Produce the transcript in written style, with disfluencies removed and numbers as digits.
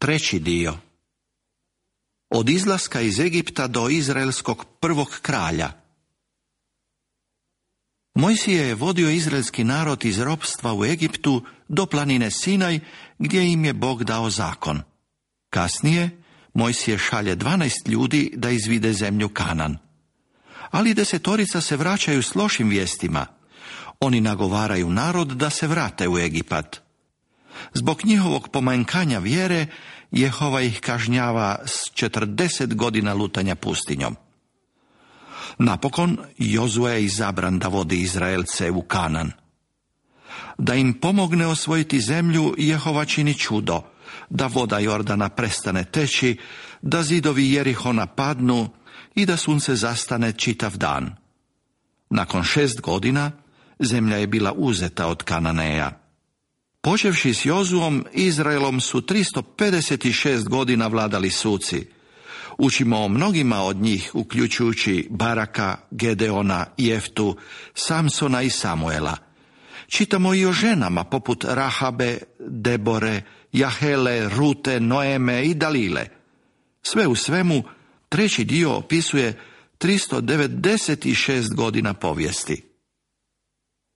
Treći dio. Od izlaska iz Egipta do izraelskog prvog kralja. Mojsije je vodio izraelski narod iz ropstva u Egiptu do planine Sinaj, gdje im je Bog dao zakon. Kasnije, Mojsije šalje 12 ljudi da izvide zemlju Kanan. Ali 10 se vraćaju s lošim vijestima. Oni nagovaraju narod da se vrate u Egipat. Zbog njihovog pomanjkanja vjere, Jehova ih kažnjava s 40 godina lutanja pustinjom. Napokon, Jozue je izabran da vodi Izraelce u Kanan. Da im pomogne osvojiti zemlju, Jehova čini čudo, da voda Jordana prestane teći, da zidovi Jerihona padnu i da sunce zastane čitav dan. Nakon 6 godina, zemlja je bila uzeta od Kananeja. Počevši s Jozuom, Izraelom su 356 godina vladali suci. Učimo o mnogima od njih, uključujući Baraka, Gedeona, Jeftu, Samsona i Samuela. Čitamo i o ženama poput Rahabe, Debore, Jahele, Rute, Noeme i Dalile. Sve u svemu, treći dio opisuje 396 godina povijesti.